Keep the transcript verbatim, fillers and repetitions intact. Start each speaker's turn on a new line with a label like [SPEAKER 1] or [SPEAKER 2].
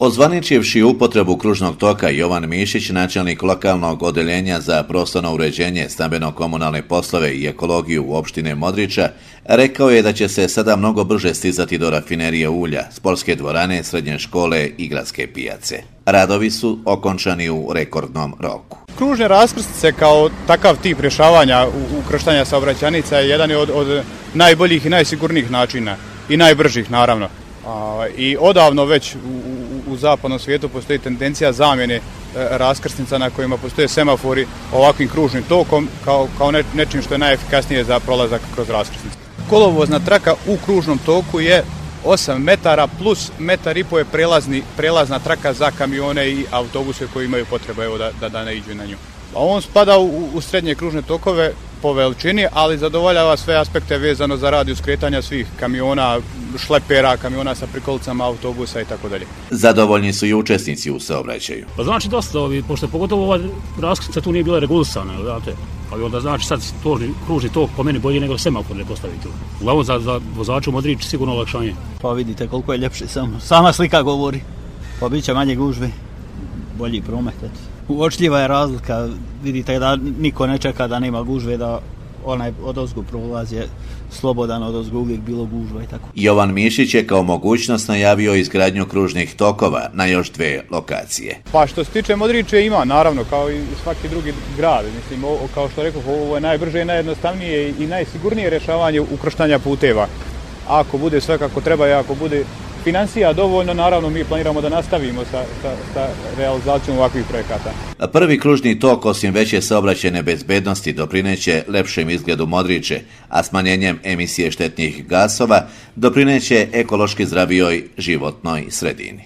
[SPEAKER 1] Ozvaničivši upotrebu kružnog toka, Jovan Mišić, načelnik lokalnog odeljenja za prostorno uređenje, stambeno-komunalne poslove i ekologiju u opštine Modriča, rekao je da će se sada mnogo brže stizati do rafinerije ulja, sportske dvorane, srednje škole i gradske pijace. Radovi su okončani u rekordnom roku.
[SPEAKER 2] Kružne raskrsnice kao takav tip rješavanja ukrštanja saobraćajnica je jedan od, od najboljih i najsigurnijih načina i najbržih naravno. I odavno već u, u, u zapadnom svijetu postoji tendencija zamjene raskrsnica na kojima postoje semafori ovakvim kružnim tokom kao, kao ne, nečim što je najefikasnije za prolazak kroz raskrsnice. Kolovozna traka u kružnom toku je osam metara plus metar i po je prelazni, prelazna traka za kamione i autobuse koji imaju potrebu evo, da, da, da ne iđu na nju. A on spada u, u srednje kružne tokove po veličini, ali zadovoljava sve aspekte vezano za radijus kretanja svih kamiona, šlepera, kamiona sa prikolicama, autobusa i tako dalje.
[SPEAKER 1] Zadovoljni su i učesnici u saobraćaju.
[SPEAKER 3] Pa znači dosta ovi, pošto pogotovo ova raskrsnica tu nije bila regulisana, znate. Ali onda znači sad to kružni tok po meni bolje nego semafor ne postaviti. Uglavnom za, za vozaču Modrić sigurno olakšanje.
[SPEAKER 4] Pa vidite koliko je ljepše samo. Sama slika govori. Pa bit će manje gužve, bolji promet. Uočljiva je razlika, vidite da niko ne čeka da nema gužve, da onaj odozgo prolaz je slobodan, odozgo uvijek bilo gužva i tako.
[SPEAKER 1] Jovan Mišić je kao mogućnost najavio izgradnju kružnih tokova na još dve lokacije.
[SPEAKER 2] Pa što se tiče Modriče ima, naravno, kao i svaki drugi grad. Mislim, ovo, kao što rekao, ovo je najbrže i najjednostavnije i najsigurnije rješavanje ukrštanja puteva. Ako bude sve kako treba i ako bude financija dovoljno, naravno mi planiramo da nastavimo sa, sa, sa realizacijom ovakvih projekata.
[SPEAKER 1] Prvi kružni tok osim veće saobraćajne bezbednosti doprineće lepšem izgledu Modriče, a smanjenjem emisije štetnih gasova doprineće ekološki zdravijoj životnoj sredini.